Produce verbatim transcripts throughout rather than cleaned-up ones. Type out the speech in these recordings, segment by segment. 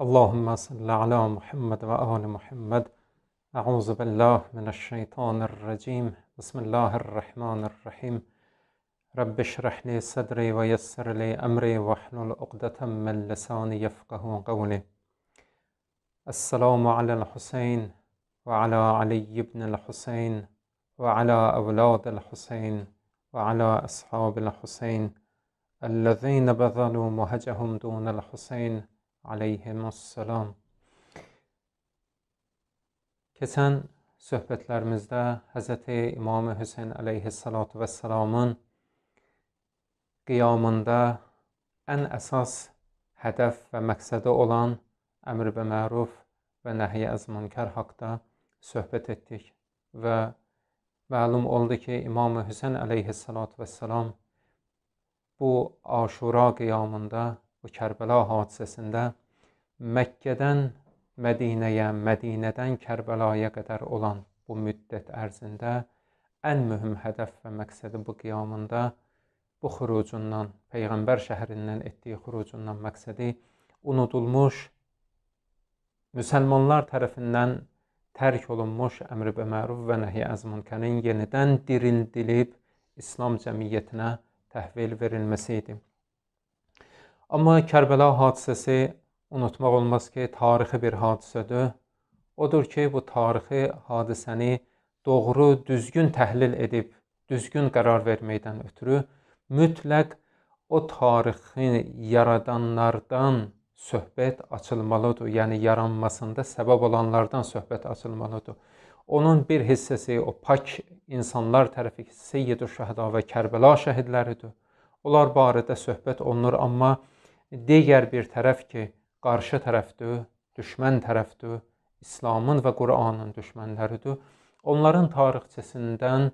اللهم صل على محمد و آل محمد. اعوذ بالله من الشیطان الرجیم. بسم الله الرحمن الرحیم. رب اشرح لي صدري ويسر لي امري واحلل عقدة من لساني يفقهوا قولي. السلام على الحسين وعلى علي بن الحسين وعلى اولاد الحسين وعلى اصحاب الحسين الذين بذلوا مهجهم دون الحسين علیهم السلام. Keçən söhbətlərimizdə Həzrəti İmam Hüseyn əleyhissalatu vesselamın qiyamında ən əsas hədəf və məqsədi olan əmr və məruf və nəhy əz münkər haqda söhbət etdik və məlum oldu ki, İmam Hüseyn əleyhissalatu vesselam bu Aşura qiyamında, bu Kərbəla hadisəsində Məkkədən Mədinəyə, Mədinədən Kərbəlaya qədər olan bu müddət ərzində ən mühüm hədəf və məqsədi bu qiyamında bu xurucundan, Peyğəmbər şəhərindən etdiyi xurucundan məqsədi unudulmuş, müsəlmanlar tərəfindən tərk olunmuş əmr və məruf və nəhy əz münkərin yenidən dirildilib İslam cəmiyyətinə təhvil verilməsi idi. Amma Kərbəla hadisəsi unutmaq olmaz ki, tarixi bir hadisədir. Odur ki, bu tarixi hadisəni doğru, düzgün təhlil edib, düzgün qərar verməkdən ötürü mütləq o tarixi yaradanlardan söhbət açılmalıdır. Yəni, yaranmasında səbəb olanlardan söhbət açılmalıdır. Onun bir hissəsi o pak insanlar tərəfi Seyyid-ü Şəhəda və Kərbəla şəhidləridir. Onlar barədə söhbət olunur, amma digər bir tərəf ki, qarşı tərəfdir, düşmən tərəfdir, İslamın və Qur'anın düşmənləridir. Onların tarixçəsindən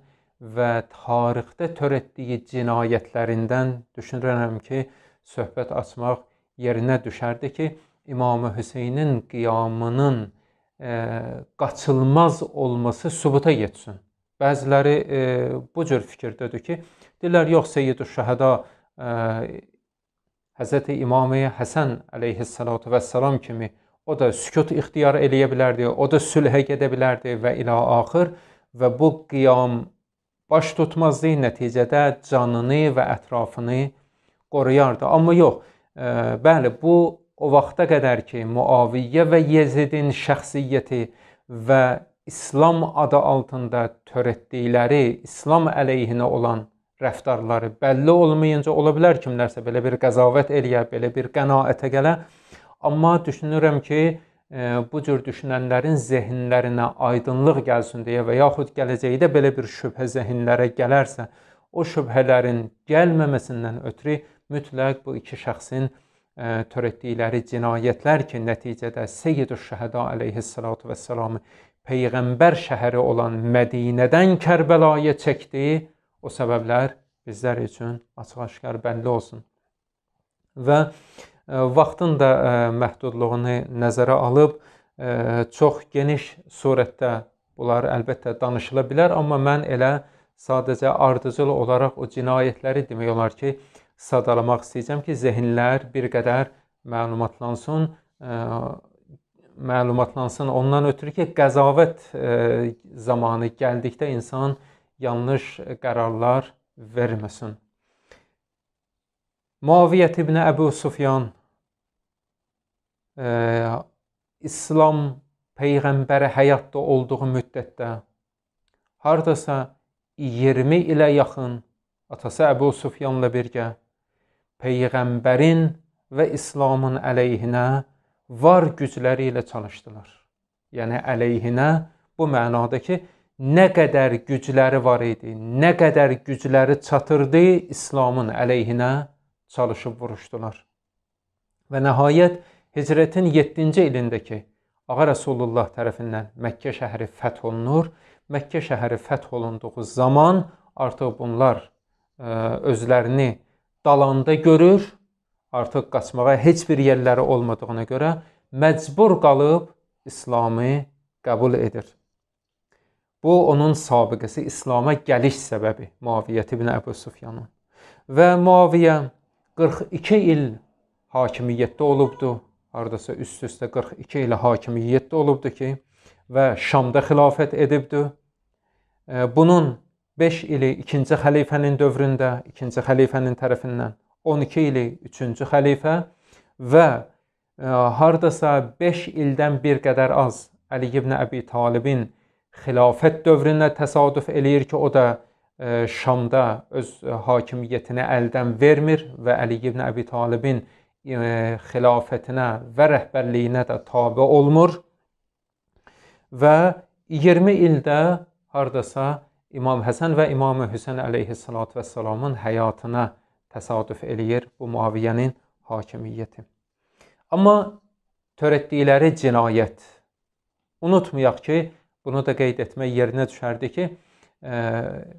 və tarixdə törətdiyi cinayətlərindən düşünürəm ki, söhbət açmaq yerinə düşərdi ki, İmam Hüseynin qiyamının e, qaçılmaz olması sübuta yetsin. Bəziləri e, bu cür fikirdədir ki, deyirlər, yox, Seyyid-ü Şəhəda e, Həzrəti İmam-ı Həsən əleyhissalatu vesselam kimi o da sükut ixtiyar eləyə bilərdi, o da sülhə gedə bilərdi və ilə axır və bu qiyam baş tutmazdı, nəticədə canını və ətrafını qoruyardı. Amma yox, e, bəli, bu o vaxta qədər ki, Muaviyyə və Yezidin şəxsiyyəti və İslam adı altında törətdikləri İslam əleyhinə olan rəftarları bəlli olmayınca ola bilər kimlərsə belə bir qəzavət eləyə, belə bir qənaətə gələ. Amma düşünürəm ki, e, bu cür düşünənlərin zehinlərinə aydınlıq gəlsin deyə və yaxud gələcəkdə belə bir şübhə zehinlərə gələrsə, o şübhələrin gəlməməsindən ötürü mütləq bu iki şəxsin e, törətdikləri cinayətlər ki, nəticədə Seyyid-ü Şəhəda əleyhissalatu vesselamı Peyğəmbər şəhəri olan Mədinədən Kərbəlaya çəkdi, o səbəblər bizlər üçün açıq-aşkar bəlli olsun. Və e, vaxtın da e, məhdudluğunu nəzərə alıb, e, çox geniş surətdə bunlar əlbəttə danışıla bilər, amma mən elə sadəcə ardıcıl olaraq o cinayətləri demək olar ki, sadalamaq istəyəcəm ki, zehinlər bir qədər məlumatlansın, e, məlumatlansın ondan ötürü ki, qəzavət e, zamanı gəldikdə insan yanlış qərarlar verməsin. Muaviyyət ibn Əbu Sufyan e, İslam Peyğəmbəri həyatda olduğu müddətdə hardasa iyirmi ilə yaxın atası Əbu Sufyanla birgə Peyğəmbərin və İslamın əleyhinə var gücləri ilə çalışdılar. Yəni əleyhinə bu mənada ki, nə qədər gücləri var idi, nə qədər gücləri çatırdı, İslamın əleyhinə çalışıb vuruşdular. Və nəhayət Hicrətin yeddinci ilindəki Ağa Rəsulullah tərəfindən Məkkə şəhəri fəth olunur. Məkkə şəhəri fəth olunduğu zaman artıq bunlar ə, özlərini dalanda görür, artıq qaçmağa heç bir yerləri olmadığına görə məcbur qalıb İslamı qəbul edir. Bu, onun sabiqəsi, İslama gəliş səbəbi Muaviyyət ibn Əbu Sufyanın. Və Muaviyyə qırx iki il hakimiyyətdə olubdu. hardasa üst-üstə qırx iki ilə hakimiyyətdə olubdu ki, və Şamda xilafət edibdi. Bunun beş ili ikinci xəlifənin dövründə, ikinci xəlifənin tərəfindən, on iki ili üçüncü xəlifə və hardasa beş ildən bir qədər az Ali ibn Əbi Talibin xilafət dövrünə təsadüf eləyir ki, o da Şamda öz hakimiyyətini əldən vermir və Ali ibn Əbi Talibin xilafətinə və rəhbərliyinə də tabe olmur və iyirmi ildə hardasa İmam Həsən və İmam Hüseyn əleyhissalatu vəssalamın həyatına təsadüf eləyir bu Muaviyyənin hakimiyyəti. Amma törətdikləri cinayət, unutmayaq ki, bunu da qeyd etmək yerinə düşərdi ki,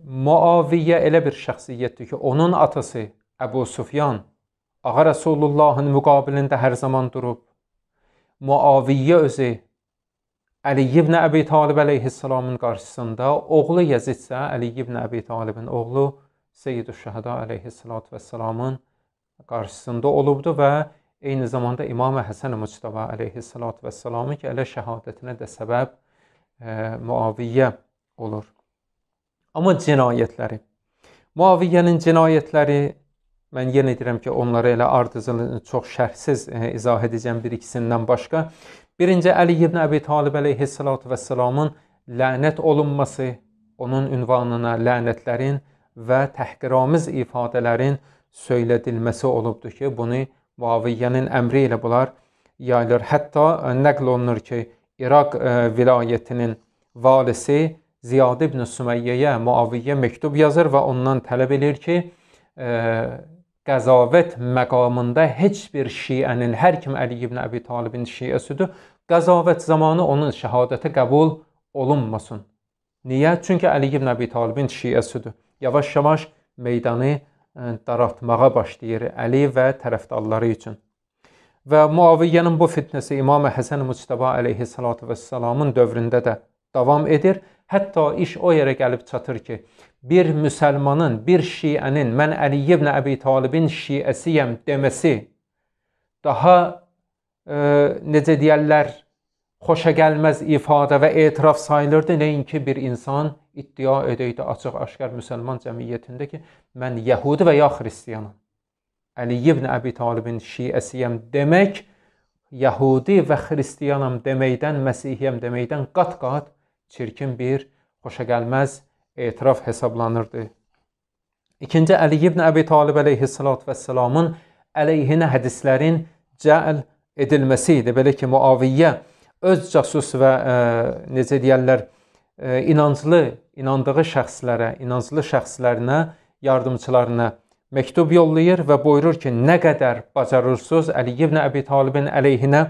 Muaviyyə elə bir şəxsiyyətdir ki, onun atası Əbu Sufyan Ağa Rəsulullahın müqabilində hər zaman durub. Muaviyyə özü Əli ibn Əbi Talib əleyhissalamın qarşısında, oğlu Yezid isə Əli ibn Əbi Talibin oğlu Seyyid-ü-Şəhəda əleyhissalatu vəssalamın qarşısında olubdu və eyni zamanda İmam Həsən Muctəba əleyhissalatu vəssalamı ki, elə şəhadətinə də səbəb e, Muaviyyə olur. Amma cinayətləri, Muaviyyənin cinayətləri, mən yenə deyirəm ki, onları elə ardıcıl çox şərhsiz e, izah edəcəm bir ikisindən başqa. Birinci, Əli ibn Əbi Talib əleyhissalatu vəssalamın lənət olunması, onun ünvanına lənətlərin və təhqiramiz ifadələrin söylədilməsi olubdur ki, bunu Muaviyyənin əmri ilə bunlar yayılır. Hətta nəql olunur ki, İraq e, vilayətinin valisi Ziyad ibn Süməyyəyə Muaviyyə məktub yazır və ondan tələb edir ki, e, qəzavət məqamında heç bir şiənin, hər kim Əli ibn Əbi Talibin şiəsidir, qəzavət zamanı onun şəhadəti qəbul olunmasın. Niyə? Çünki Əli ibn Əbi Talibin şiəsidir. Yavaş-yavaş meydanı daraltmağa başlayır Əli və tərəfdarları üçün. Və Muaviyyənin bu fitnəsi İmam Həsən Muctəba əleyhissalatu vəssalamın dövründə də davam edir. Hətta iş o yerə gəlib çatır ki, bir müsəlmanın, bir şiənin mən Əli ibn Əbi Talibin şiəsiyəm deməsi daha e, necə deyərlər, xoşagəlməz ifadə və etiraf sayılırdı. Nəinki bir insan iddia edəydi açıq-aşkar müsəlman cəmiyyətində ki, mən Yəhudi və ya Xristiyanam. Əli ibn Əbi Talibin şiəsiyəm demək, Yəhudi və Xristiyanam deməkdən, Məsihiyəm deməkdən qat-qat çirkin bir xoşagəlməz etiraf hesablanırdı. İkinci, Əli ibn Əbi Talib əleyhissalatu vəssalamın əleyhinə hədislərin cəl edilməsi idi. Belə ki, Muaviyyə öz casus və e, necə deyərlər, e, inanclı, inandığı şəxslərə, inanclı şəxslərinə, yardımçılarına məktub yollayır və buyurur ki, nə qədər bacarırsınız Əli ibn Əbi Talibin əleyhinə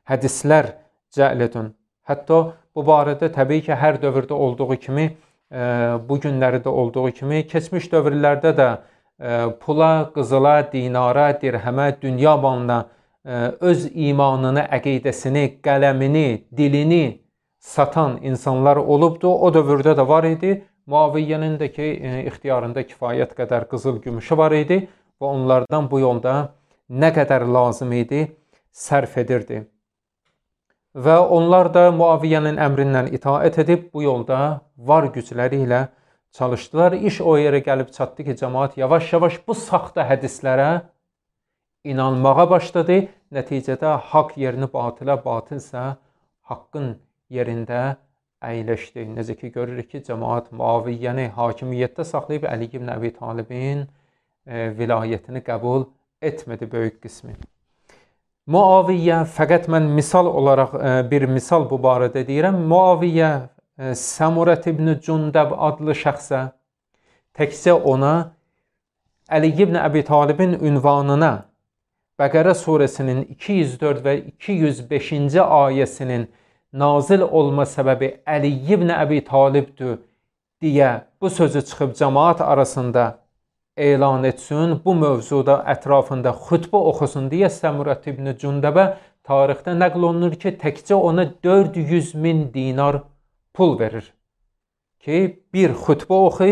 hədislər cəl edin. Hətta bu barədə təbii ki, hər dövrdə olduğu kimi, e, bu günləri də olduğu kimi, keçmiş dövrlərdə də e, pula, qızıla, dinara, dirhəmə, dünya malına e, öz imanını, əqidəsini, qələmini, dilini satan insanlar olubdu. O dövrdə də var idi. Muaviyyənin də ki, e, ixtiyarında kifayət qədər qızıl gümüşü var idi və onlardan bu yolda nə qədər lazım idi sərf edirdi. Və onlar da Muaviyyənin əmrindən itaət edib bu yolda var gücləri ilə çalışdılar. İş o yerə gəlib çatdı ki, cəmaat yavaş-yavaş bu saxta hədislərə inanmağa başladı. Nəticədə haqq yerini batılə, batıl isə haqqın yerində əyləşdi. Necə ki, görürük ki, cəmaat Muaviyyəni hakimiyyətdə saxlayıb Əli ibn Əbi Talibin e, vilayətini qəbul etmədi böyük qismi. Muaviyyə, fəqət mən misal olaraq e, bir misal bu barədə deyirəm. Muaviyyə e, Səmurət ibn Cündəb adlı şəxsə təkcə ona Əli ibn Əbi Talibin ünvanına Bəqərə surəsinin iki yüz dörd və iki yüz beşinci ayəsinin nazil olma səbəbi Əli ibn Əbi Talibdir deyə bu sözü çıxıb cəmaat arasında elan etsin, bu mövzuda ətrafında xütbə oxusun deyə Səmurət ibn Cündəbə tarixdə nəql olunur ki, təkcə ona dörd yüz min dinar pul verir ki, bir xütbə oxu,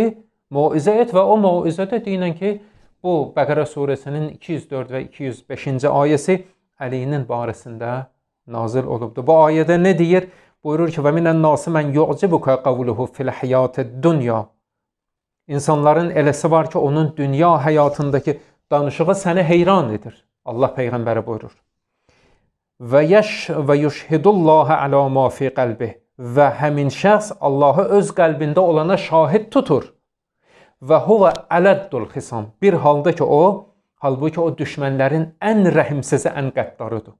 moizə et və o moizədə deyilən ki, bu Bəqərə surəsinin iki yüz dörd və iki yüz beşinci ayəsi Əlinin barəsində nazil olubdur. Bu ayədə nə deyir? Buyurur ki, və minən nasi mən yu'cibuka qavluhu fil həyatid dunya. İnsanların eləsi var ki, onun dünya həyatındakı danışığı səni heyran edir. Allah Peyğəmbəri buyurur. Və yeş və yushhidullaha ala ma fi qalbih. Və həmin şəxs Allahı öz qəlbində olana şahid tutur. Və huvə ələddul xisam. Bir halda ki o, halbuki o düşmənlərin ən rəhimsizi, ən qəddarıdır.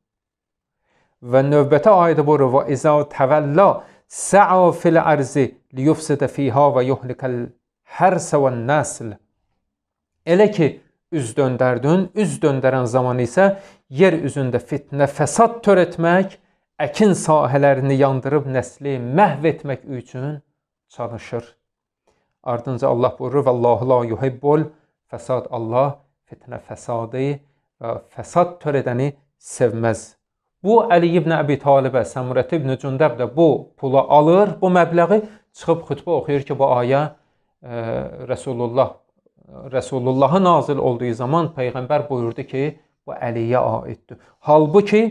Və növbəti ayədə buyurur, və izə təvəllə sə'a fil ərzi liyufsidə fiha və yuhlikəl hərsə və nəsl. Elə ki, üz döndərdin, üz döndərən zaman isə yer üzündə fitnə, fəsad törətmək, əkin sahələrini yandırıb nəsli məhv etmək üçün çalışır. Ardınca Allah buyurur, Vallahu la yuhibbul fəsad. Allah fitnə, fəsadı və fəsad törədəni sevməz. Bu, Əli ibn Əbi Talibə, Səmurət ibn Cündəb də bu pulu alır, bu məbləği çıxıb xütbə oxuyur ki, bu ayə e, Rəsulullah, Rəsulullah'a nazil olduğu zaman Peyğəmbər buyurdu ki, bu Əliyə aiddir. Halbuki,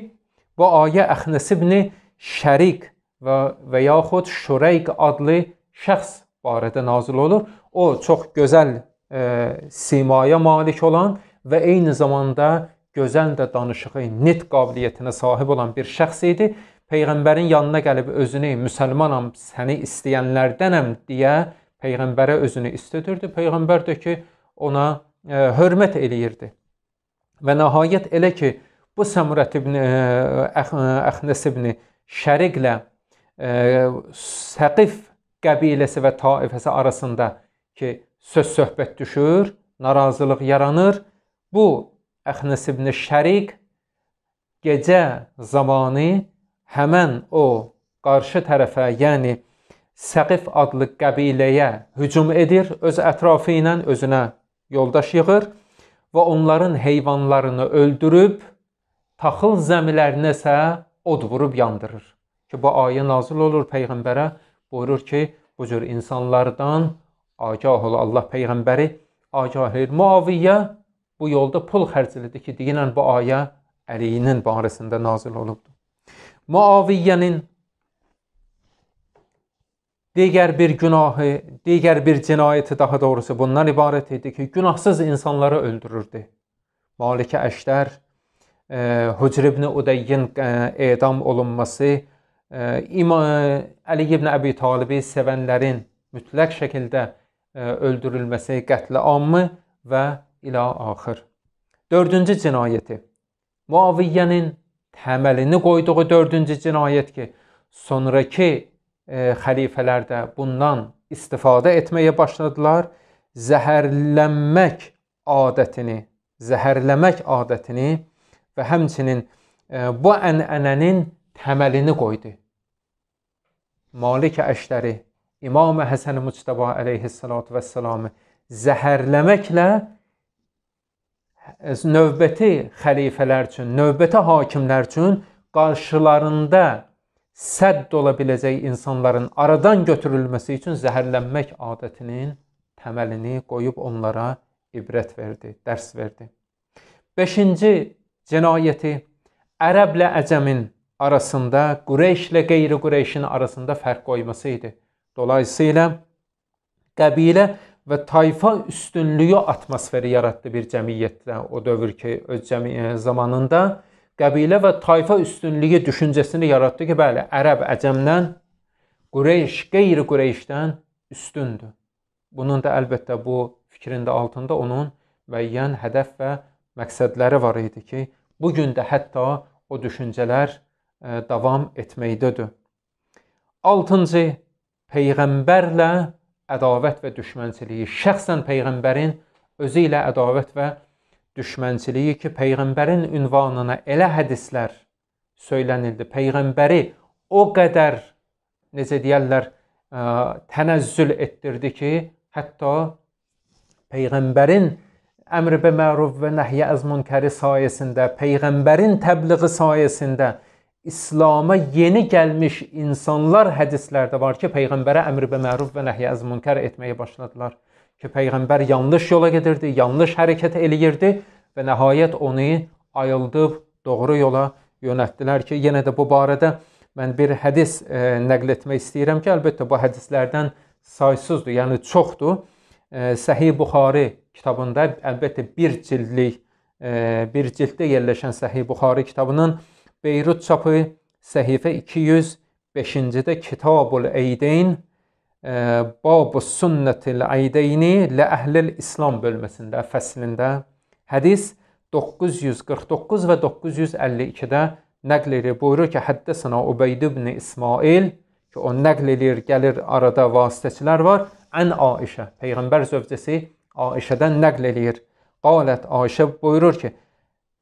bu ayə Əxnəs ibn Şərik və, və yaxud Şureyq adlı şəxs barədə nazil olur. O, çox gözəl e, simaya malik olan və eyni zamanda gözəl də danışığı, nitq qabiliyyətinə sahib olan bir şəxs idi. Peyğəmbərin yanına gəlib özünü müsəlmanam, səni istəyənlərdənəm deyə Peyğəmbərə özünü istədirdi. Peyğəmbər də ki, ona e, hörmət eləyirdi. Və nəhayət elə ki, bu Səmurət ibn Əxnəs ibn Şəriqlə e, Səqif qəbiləsi və taifəsi arasında ki, söz söhbət düşür, narazılıq yaranır. Bu Əxnəs ibn Şəriq gecə zamanı həmən o qarşı tərəfə, yəni Səqif adlı qəbiləyə hücum edir, öz ətrafı ilə özünə yoldaş yığır və onların heyvanlarını öldürüb, taxıl zəmilərinə isə od vurub yandırır. Ki, bu ayə nazil olur Peyğəmbərə, buyurur ki, bu cür insanlardan agah ol. Allah Peyğəmbəri agah edir. Muaviyyə bu yolda pul xərclədi ki, deyilən bu ayə Əlinin barəsində nazil olubdur. Muaviyyənin digər bir günahı, digər bir cinayəti daha doğrusu bundan ibarət idi ki, günahsız insanları öldürürdü. Malik-i Əşdər, e, Hücr ibn Udeyyin e, edam olunması, e, Əli ibn Əbi Talibi sevənlərin mütləq şəkildə e, öldürülməsi, qətl ammı və ilə axır. Dördüncü cinayəti. Muaviyyənin təməlini qoyduğu dördüncü cinayət ki, sonraki e, xəlifələrdə bundan istifadə etməyə başladılar. Zəhərlənmək adətini, zəhərləmək adətini və həmçinin e, bu ənənənin təməlini qoydu. Malik-i Əşdəri, İmam Həsən Müctəba əleyhissalatu vəssalamı zəhərləməklə növbəti xəlifələr üçün, növbəti hakimlər üçün qarşılarında sədd ola biləcək insanların aradan götürülməsi üçün zəhərlənmək adətinin təməlini qoyub onlara ibrət verdi, dərs verdi. Beşinci cinayəti ərəblə əcəmin arasında, Qureyşlə qeyri-Qureyşin arasında fərq qoyması idi. Dolayısıyla qəbilə və tayfa üstünlüyü atmosferi yaratdı bir cəmiyyətdə o dövr ki, öz cəmiyyət zamanında qəbilə və tayfa üstünlüyü düşüncəsini yaratdı ki, bəli, ərəb əcəmdən, Qureyş qeyri-Qureyşdən üstündür. Bunun da əlbəttə bu fikrin də altında onun müəyyən hədəf və məqsədləri var idi ki, bugün də hətta o düşüncələr e, davam etməkdədir. Altıncı, Peyğəmbərlə ədavət və düşmənçiliyi. Şəxsən Peyğəmbərin özü ilə ədavət və düşmənçiliyi ki, Peyğəmbərin ünvanına elə hədislər söylənildi. Peyğəmbəri o qədər, necə deyərlər, tənəzzül etdirdi ki, hətta Peyğəmbərin əmr bi məruf və nəhyə əz münkəri sayəsində, Peyğəmbərin təbliği sayəsində İslam'a yeni gəlmiş insanlar hədislərdə var ki, Peyğəmbərə əmr bi məruf və nəhyə əz münkər etməyə başladılar. Ki, Peyğəmbər yanlış yola gedirdi, yanlış hərəkət eləyirdi və nəhayət onu ayıldıb doğru yola yönəltdilər ki, yenə də bu barədə mən bir hədis e, nəql etmək istəyirəm ki, əlbəttə bu hədislərdən saysızdır, yəni çoxdur. E, Səhih Buxari kitabında, əlbəttə bir cildlik, e, bir cilddə yerləşən Səhih Buxari kitabının Beyrut çapı səhifə iki yüz beşincidə Kitabul Eydeyn Bab-ı Sünnətil Eydeyni lə Əhlil İslam bölməsində, fəslində hədis doqquz yüz qırx doqquz və doqquz yüz əlli ikidə nəql edir. Buyurur ki, Həddəsənə Ubeyd ibn İsmail, ki o nəql edir, gəlir arada vasitəçilər var. Ən Aişə, Peyğəmbər zövcəsi Aişədən nəql edir. Qalət, Aişə buyurur ki,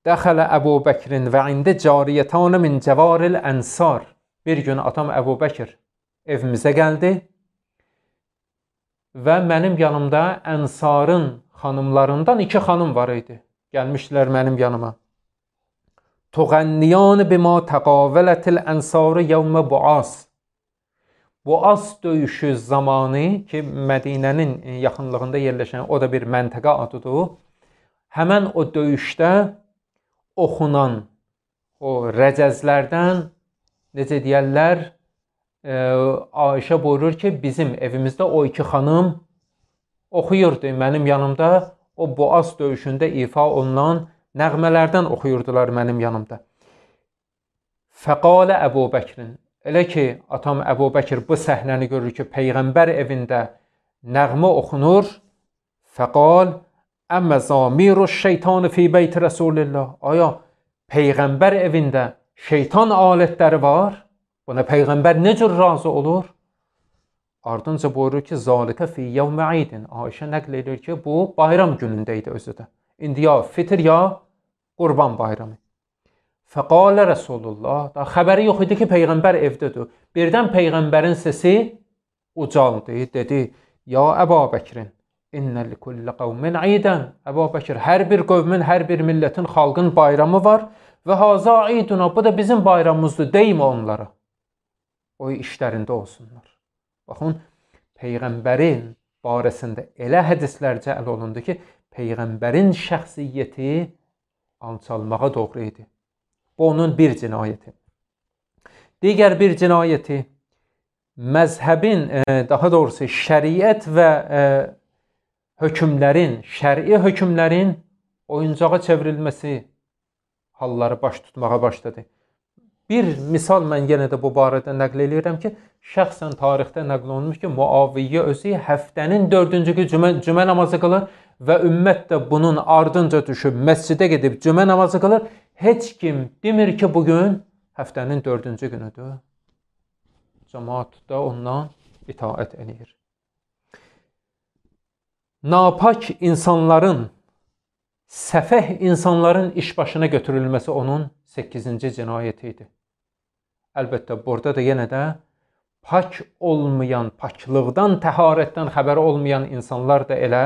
Dəxələ Əbu Bəkrin və indi cariyətanə min cəvaril ənsar. Bir gün atam Əbu Bəkir evimizə gəldi və mənim yanımda ənsarın xanımlarından iki xanım var idi. Gəlmişdilər mənim yanıma. Tuğənniyan bima təqavələtil ənsarı yevmə buas. Buas döyüşü zamanı ki, Mədinənin yaxınlığında yerləşən o da bir məntəqə adıdır. Həmən o döyüşdə oxunan o rəcəzlərdən, necə deyərlər, e, Aişə buyurur ki, bizim evimizdə o iki xanım oxuyurdu mənim yanımda. O Buas döyüşündə ifa olunan nəğmələrdən oxuyurdular mənim yanımda. Fəqalə Əbu Bəkrin. Elə ki, atam Əbu Bəkir bu səhnəni görür ki, Peyğəmbər evində nəğmə oxunur. Fəqal, əmmə zamiru şeytanı fi beyti Rasulillah. Aya, Peyğəmbər evində şeytan alətləri var. Buna Peyğəmbər nə cür razı olur? Ardınca buyurur ki, zalikə fi yevmə aydin. Aişə nəql edir ki, bu bayram günündə idi özü də. İndi ya fitr ya qurban bayramı. Fəqalə Rasulullah. Da xəbəri yox idi ki, Peyğəmbər evdədir. Birdən Peyğəmbərin səsi ucaldı. Dedi, ya Əbu Bəkrin, innə likulli qavmin aydən. Əbu Bəkir, hər bir qövmin, hər bir millətin, xalqın bayramı var. Və haza ayduna, bu da bizim bayramımızdır. Deymə onlara. O işlərində olsunlar. Baxın, Peyğəmbərin barəsində elə hədislər cəl olundu ki, Peyğəmbərin şəxsiyyəti alçalmağa doğru idi. Bu onun bir cinayəti. Digər bir cinayəti, məzhəbin, daha doğrusu şəriət və hökmlərin, şəri hökmlərin oyuncağa çevrilməsi halları baş tutmağa başladı. Bir misal mən yenə də bu barədə nəql edirəm ki, şəxsən tarixdə nəql olunmuş ki, Muaviyyə özü həftənin dördüncü gün cümə, cümə namazı qılır və ümmət də bunun ardınca düşüb məscidə gedib cümə namazı qılır. Heç kim demir ki, bugün həftənin dördüncü günüdür. Cəmaat da ondan itaət edir. Napak insanların, səfeh insanların iş başına götürülməsi onun səkkizinci cinayəti idi. Əlbəttə, burada da yenə də pak olmayan, paklıqdan, təharətdən xəbəri olmayan insanlar da elə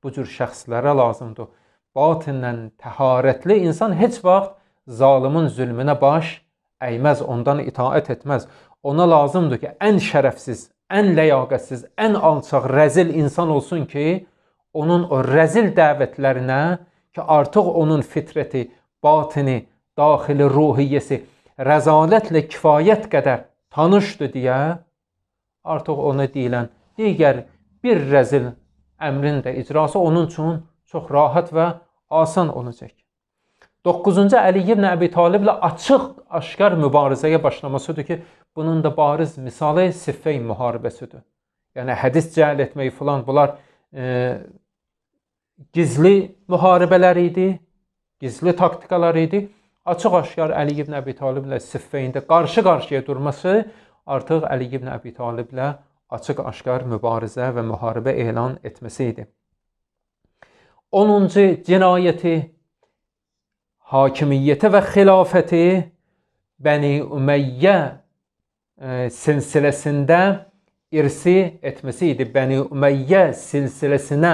bu cür şəxslərə lazımdır. Batinən təharətli insan heç vaxt zalimin zülmünə baş əyməz, ondan itaət etməz. Ona lazımdır ki, ən şərəfsiz, ən ləyaqətsiz, ən alçaq, rəzil insan olsun ki, onun o rəzil dəvətlərinə ki, artıq onun fitrəti, batini, daxili ruhiyyəsi rəzalətlə kifayət qədər tanışdır deyə, artıq ona deyilən digər bir rəzil əmrin də icrası onun üçün çox rahat və asan olacaq. doqquzuncu Əli ibn Əbi Taliblə açıq, aşkar mübarizəyə başlamasıdır ki, bunun da bariz misalı Siffeyn müharibəsidir. Yəni, hədis cəhl etmək filan, bunlar e, gizli müharibələr idi, gizli taktikalar idi. Açıq-aşkar Əli ibn Əbi Taliblə Siffeyndə qarşı-qarşıya durması artıq Əli ibn Əbi Taliblə açıq-aşkar mübarizə və müharibə elan etməsi idi. onuncu cinayəti, hakimiyyəti və xilafəti Bəni Ümeyyə e, silsiləsində irsi etməsi idi. Bəni Ümeyyə silsiləsinə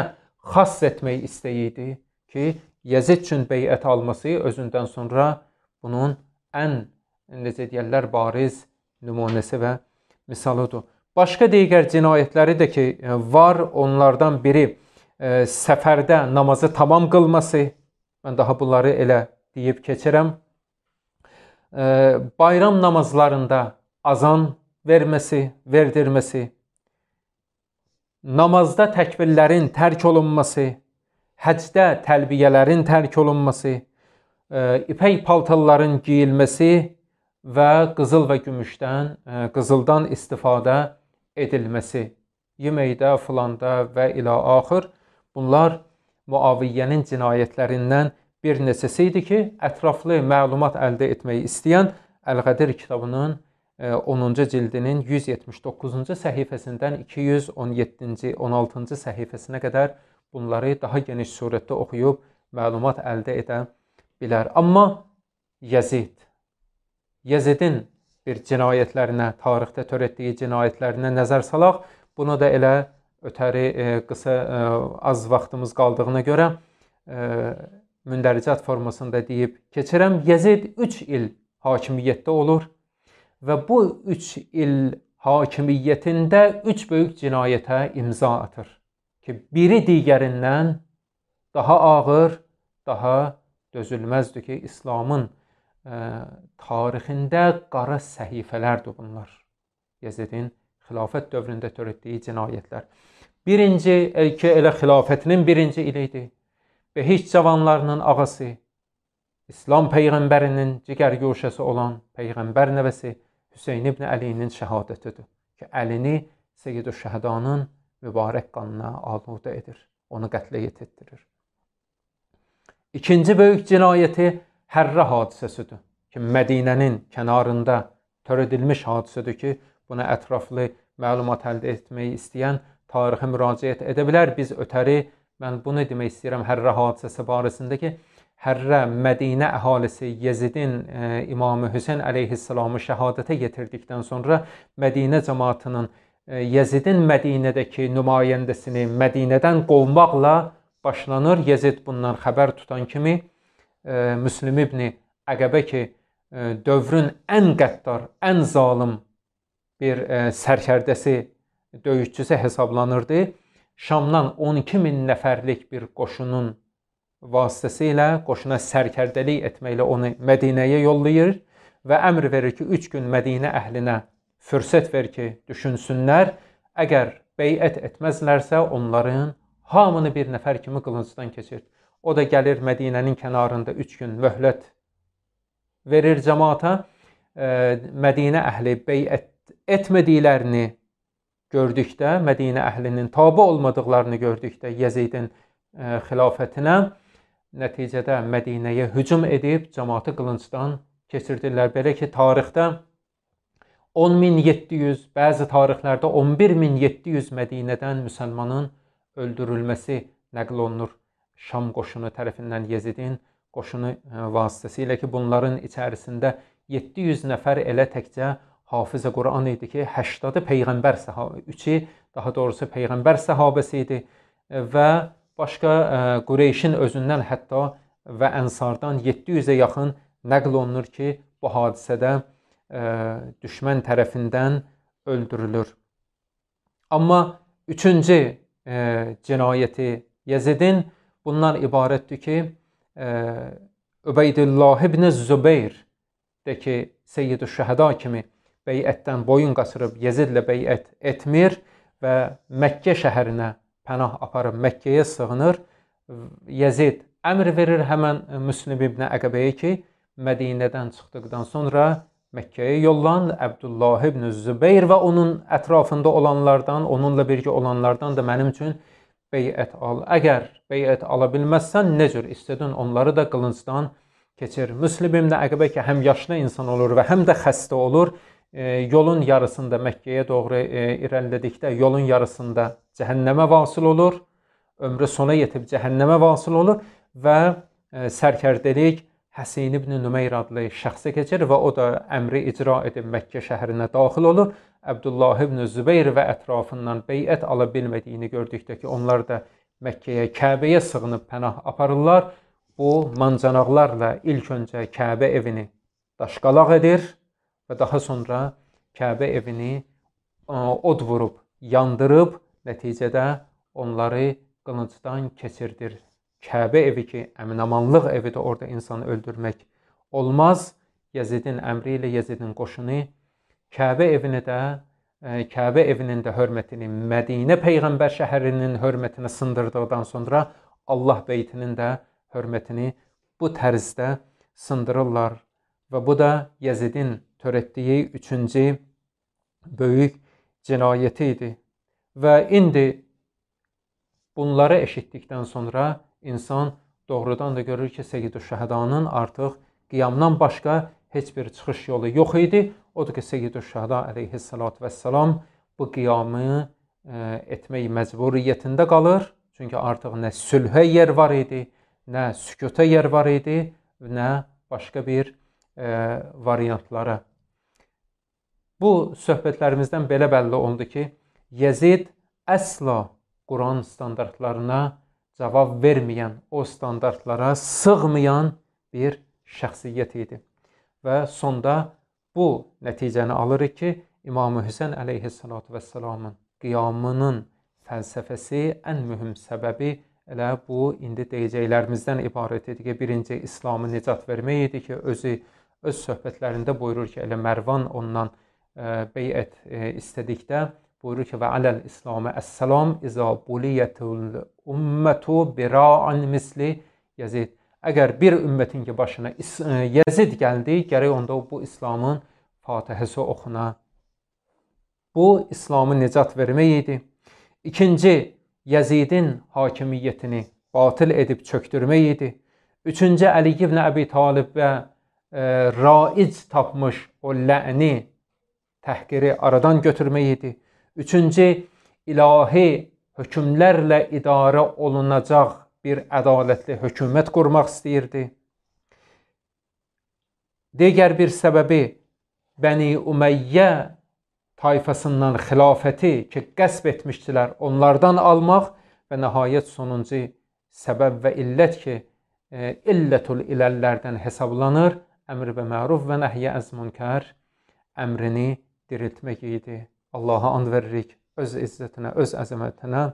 xas etmək istəyirdi ki, Yezid üçün beyət alması özündən sonra bunun ən, necə deyərlər, bariz nümunəsi və misalıdır. Başqa digər cinayətləri də ki, var, onlardan biri e, səfərdə namazı tamam qılması. Mən daha bunları elə deyib keçirəm. bayram namazlarında azan verməsi, verdirməsi, namazda təkbirlərin tərk olunması, həcdə təlbiyələrin tərk olunması, ipək paltarların geyilməsi və qızıl və gümüşdən, qızıldan istifadə edilməsi, yeməkdə, filanda və ilə axır. Bunlar Muaviyyənin cinayətlərindən bir neçəsi idi ki, ətraflı məlumat əldə etmək istəyən Əl-Qədir kitabının onuncu cildinin yüz yetmiş doqquzuncu səhifəsindən iki yüz on yeddinci on altıncı səhifəsinə qədər bunları daha geniş surətdə oxuyub məlumat əldə edə bilər. Amma Yezid, Yezidin bir cinayətlərinə, tarixdə törətdiyi cinayətlərinə nəzər salaq. Bunu da elə ötəri e, qısa e, az vaxtımız qaldığına görə e, mündəricat formasında deyib keçirəm. Yezid üç il hakimiyyətdə olur və bu üç il hakimiyyətində üç böyük cinayətə imza atır ki, biri digərindən daha ağır, daha dözülməzdir ki, İslamın e, tarixində qara səhifələrdir bunlar. Yezidin xilafət dövründə törətdiyi cinayətlər. Birinci ki, elə xilafətinin birinci ili idi. Behiç cavanlarının ağası, İslam Peyğəmbərinin cigər guşəsi olan Peyğəmbər nəvəsi Hüseyn ibn Əlinin şəhadətidir ki, Əlini Seyyid-ü Şəhədanın mübarək qanına aludə edir, onu qətlə yetirdirir. İkinci böyük cinayəti Hərrə hadisəsidir ki, Mədinənin kənarında törədilmiş hadisədir ki, buna ətraflı məlumat əldə etmək istəyən tarixə müraciət edə bilər. Biz ötəri, mən bunu demək istəyirəm Hərrə hadisəsi barəsində ki, Hərrə Mədinə əhalisi Yezidin e, İmamı Hüseyn əleyhissalamı şəhadətə yetirdikdən sonra Mədinə cəmaatının e, Yezidin Mədinədəki nümayəndəsini Mədinədən qovmaqla başlanır. Yezid bundan xəbər tutan kimi e, Müslim ibn Əqəbə ki, e, dövrün ən qəddar, ən zalim bir e, sərkərdəsi, döyüşçüsü hesablanırdı. Şamdan on iki min nəfərlik bir qoşunun vasitəsilə qoşuna sərkərdəlik etməklə onu Mədinəyə yollayır və əmr verir ki, üç gün Mədinə əhlinə fürsət ver ki, düşünsünlər. Əgər beyət etməzlərsə, onların hamını bir nəfər kimi qılıncdan keçir. O da gəlir Mədinənin kənarında üç gün möhlət verir cəmaata. Mədinə əhli beyət etmədiklərini gördükdə, Mədinə əhlinin tabi olmadıqlarını gördükdə Yezidin e, xilafətinə nəticədə Mədinəyə hücum edib cəmaatı qılıncdan keçirdirlər. Belə ki, tarixdə on min yeddi yüz, bəzi tarixlərdə on bir min yeddi yüz Mədinədən müsəlmanın öldürülməsi nəql olunur Şam qoşunu tərəfindən, Yezidin qoşunu vasitəsilə ki, bunların içərisində yeddi yüz nəfər elə təkcə Hafizə Quran idi ki, səksən Peyğəmbər səhabə, üçü daha doğrusu Peyğəmbər səhabəsi idi və başqa Qureyşin özündən hətta və Ənsardan yeddi yüzə yaxın nəql olunur ki, bu hadisədə düşmən tərəfindən öldürülür. Amma üçüncü cinayəti Yezidin bundan ibarətdir ki, Übeydullah ibn Zübeyr də ki, Seyyid-ü Şəhəda kimi beyətdən boyun qaçırıb Yezidlə beyət etmir və Məkkə şəhərinə pənah aparıb Məkkəyə sığınır. Yezid əmr verir həmən Müslim ibn Əqəbəyə ki, Mədinədən çıxdıqdan sonra Məkkəyə yollan, Əbdullah ibn Zübeyr və onun ətrafında olanlardan, onunla birgə olanlardan da mənim üçün beyət al. Əgər beyət ala bilməzsən, nə cür istədin onları da qılıncdan keçir. Müslim ibn Əqəbə ki, həm yaşlı insan olur və həm də xəstə olur. E, yolun yarısında Məkkəyə doğru e, irəlilədikdə yolun yarısında cəhənnəmə vasıl olur. Ömrü sona yetib cəhənnəmə vasıl olur və e, sərkərdəlik Həsin ibn Nümeyr adlı şəxsə keçir və o da əmri icra edib Məkkə şəhərinə daxil olur. Əbdullah ibn Zübeyr və ətrafından beyət ala bilmədiyini gördükdə ki, onlar da Məkkəyə, Kəbəyə sığınıb pənah aparırlar. Bu mancanaqlarla ilk öncə Kəbə evini daşqalaq edir və daha sonra Kəbə evini od vurub, yandırıb, nəticədə onları qılıncdan keçirdir. Kəbə evi ki, əminamanlıq evidir, orada insanı öldürmək olmaz. Yezidin əmri ilə Yezidin qoşunu Kəbə evinə də, Kəbə evinin də hörmətini, Mədinə Peyğəmbər şəhərinin hörmətini sındırdıqdan sonra Allah beytinin də hörmətini bu tərzdə sındırırlar. Və bu da Yezidin törətdiyi üçüncü böyük cinayəti idi. Və indi bunları eşitdikdən sonra insan doğrudan da görür ki, Seyyid-ü-Şəhədanın artıq qiyamdan başqa heç bir çıxış yolu yox idi. Odur ki, Seyyid-ü-Şəhəda əleyhissalatu vəssalam bu qiyamı e, etmək məcburiyyətində qalır. Çünki artıq nə sülhə yer var idi, nə sükuta yer var idi, nə başqa bir e, variantlara. Bu söhbətlərimizdən belə bəlli oldu ki, Yezid əsla Quran standartlarına cavab verməyən, o standartlara sığmayan bir şəxsiyyət idi. Və sonda bu nəticəni alırıq ki, İmam-ı Hüseyn əleyhissalatu vəssalamın qiyamının fəlsəfəsi ən mühüm səbəbi elə bu indi deyəcəklərimizdən ibarət idi ki, birinci İslamı nicat vermək idi ki, özü öz söhbətlərində buyurur ki, elə Mərvan ondan e, beyət e, istədikdə buyurur ki, və aləl İslamə əs-salam izə buliyyətul ümmətu bira'an misli Yezid. Əgər bir ümmətin ki, başına Yezid gəldi, gərək onda bu İslamın Fatihəsi oxuna. Bu, İslamı nicat vermək idi. İkinci, Yezidin hakimiyyətini batıl edib çöktürmək idi. Üçüncü, Əli ibn Əbi Talibə e, raic tapmış o lə'ni, təhqiri aradan götürmək idi. Üçüncü, ilahi hökmlərlə idarə olunacaq bir ədalətli hökumət qurmaq istəyirdi. Digər bir səbəbi Bəni Umeyyə tayfasından xilafəti ki, qəsb etmişdilər, onlardan almaq və nəhayət sonuncu səbəb və illət ki, e, illətül iləllərdən hesablanır, əmr və məruf və nəhyə əz münkər əmrini diriltmək idi. Allaha and veririk öz izzətinə, öz əzəmətinə.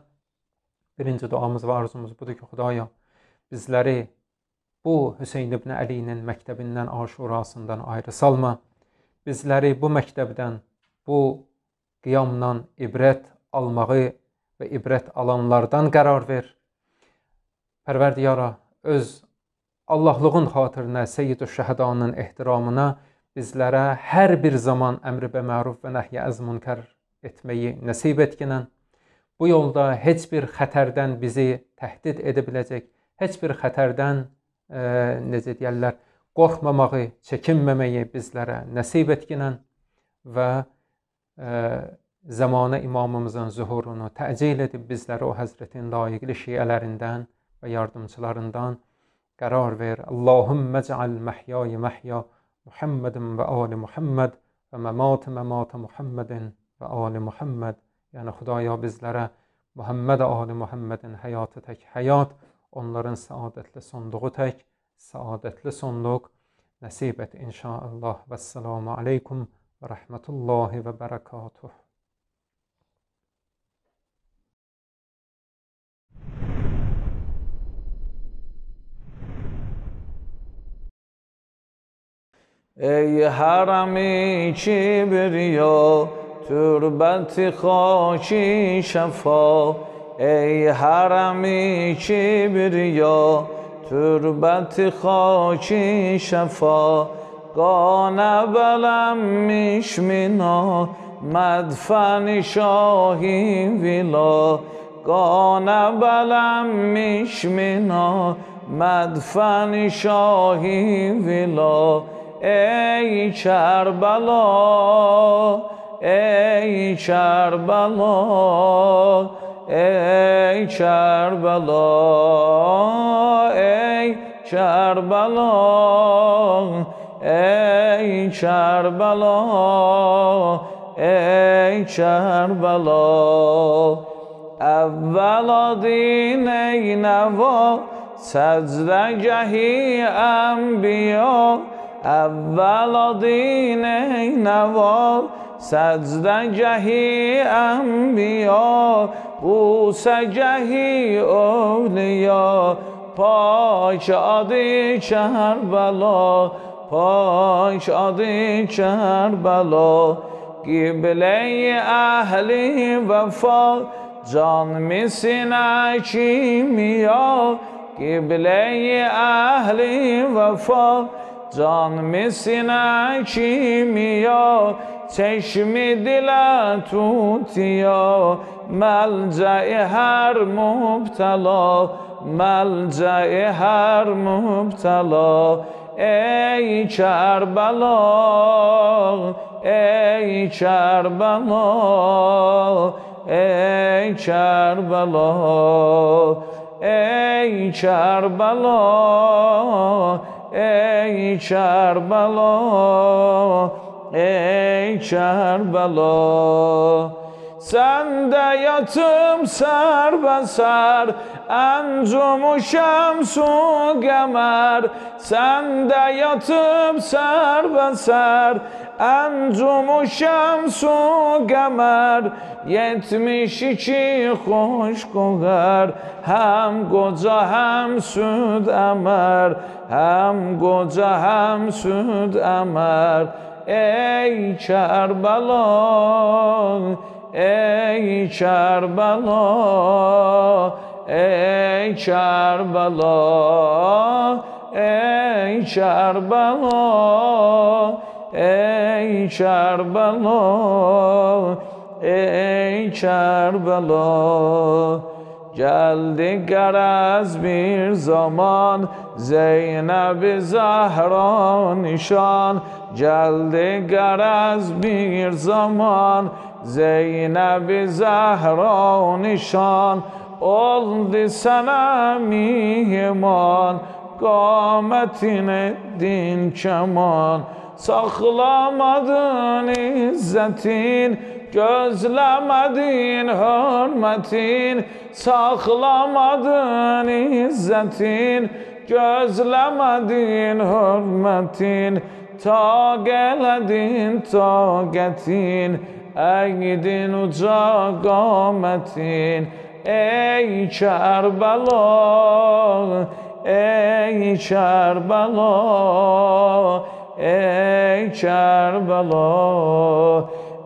Birinci duamız və arzumuz budur ki, Xudaya bizləri bu Hüseyn ibn Əlinin məktəbindən, aşurasından ayrı salma. Bizləri bu məktəbdən, bu qiyamdan ibrət almağı və ibrət alanlardan qərar ver. Pərverdiyara, öz Allahlığın xatirinə, Seyyid-ü-Şəhədanın ehtiramına bizlərə hər bir zaman əmri bə məruf və nəhyə əz münkər etməyi nəsib etginən. Bu yolda heç bir xətərdən bizi təhdid edə biləcək, heç bir xətərdən e, necə deyərlər, qorxmamağı, çəkinməməyi bizlərə nəsib etginən və e, zamanə imamımızın zuhurunu təcil edib bizləri o həzrətin layiqli şiələrindən və yardımçılarından qərar ver. Allahümmə cəal məhyayı məhya Muhammedin və ali Muhammed və məmatı məmatı Muhammedin və ali Muhammed. Yəni Xudaya bizlərə Muhammed ali Muhammedin həyatı tək həyat, onların səadətli sonluğu tək səadətli sonluq nəsib et inşallah. Vəssalamu aleykum və rəhmətullahi və bərəkatuh. ای حرمی کبریا تربت خاکی شفا ای حرمی کبریا تربت خاکی شفا قانه بلم میشمینا مدفن شاهی ویلا قانه بلم میشمینا مدفن شاهی ویلا ای کربلا ای کربلا ای کربلا ای کربلا ای کربلا ای کربلا اولا دین ای نوا سجدگهی انبیا اولا دین ای نوا سجدگهی انبیا بوسگهی اولیا پاک آدی کربلا پاش آدی کربلا قبله اهلی وفا جان میسینه کیمیا قبله اهلی وفا جان میسینه کیمیا چشم دل توتیا ملجأ هر مبتلا ملجأ هر مبتلا ای کربلا ای کربلا ای کربلا ای کربلا ای کربلا ey Kerbela sende yatım serbesar encumu şemsu gemer sende yatım serbesar encumu şemsu gemer yetmiş iki hoş kogar hem koca hem süd emer hem koca hem süd emer ey Kerbela ey Kerbela ey Kerbela ey Kerbela ey Kerbela ey Kerbela geldi garaz bir zaman Zeynep Zahra nişan geldi garaz bir zaman Zeynep Zahra nişan oldu sana mihman kâmetine din keman saklamadın izzetin gözlemedin hürmetin saklamadın izzetin gözlemedin hürmetin ta geledin taqetin eğdin uca qametin ey Kerbela ey Kerbela ey Kerbela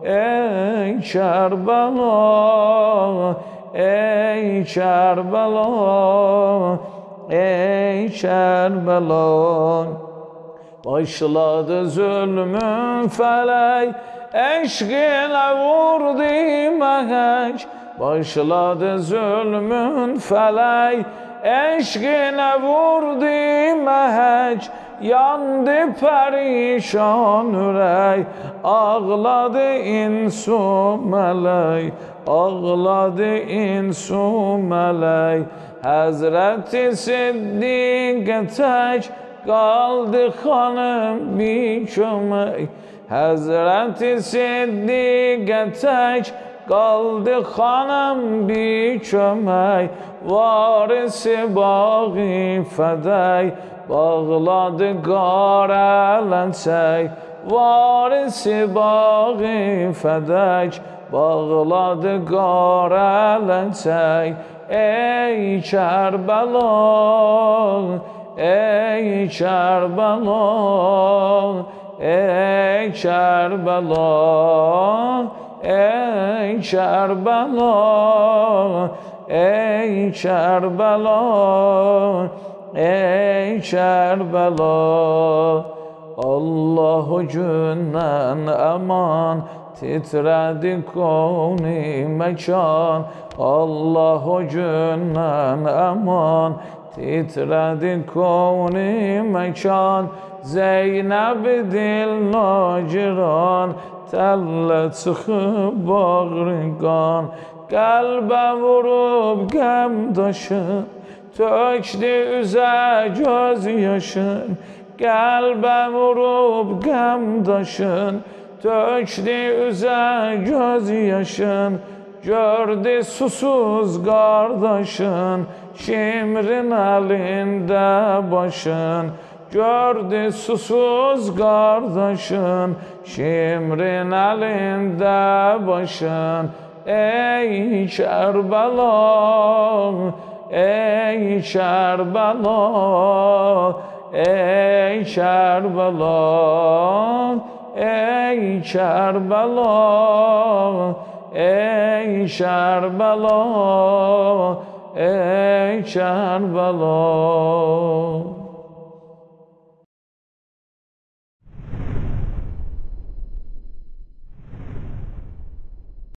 ey Kerbela ey Kerbela ey Kerbela başladı zulmün felek eşkine vurdu mehek başladı zulmün felek eşkine vurdu mehek yandı perişan ürek ağladı insu melek ağladı insu melek Hazreti Siddiq tek kaldı hanım bir kömek Hazreti Siddiq tek kaldı hanım bir kömek varisi bağı fedey bağladı qarələncək varisi bağı fedek bağladı qarələncək ey Kerbela ey Kerbela ey Kerbela ey Kerbela ey Kerbela ey Kerbela Allahu gündən aman titredi koni mekan Allahu gündən aman titredi koni mekan Zeynep dil naciran təlle çıxıb bağrıqan Qəlbə vurub qəm daşın tökdü üzə göz yaşın Qəlbə vurub qəm daşın tökdü üzə göz yaşın gördü susuz qardaşın şimrin əlində başın gördü susuz qardaşın şimrin əlində başın ey Kerbela ey Kerbela ey Kerbela, ey Kerbela, ey Kerbela, ey Kerbela.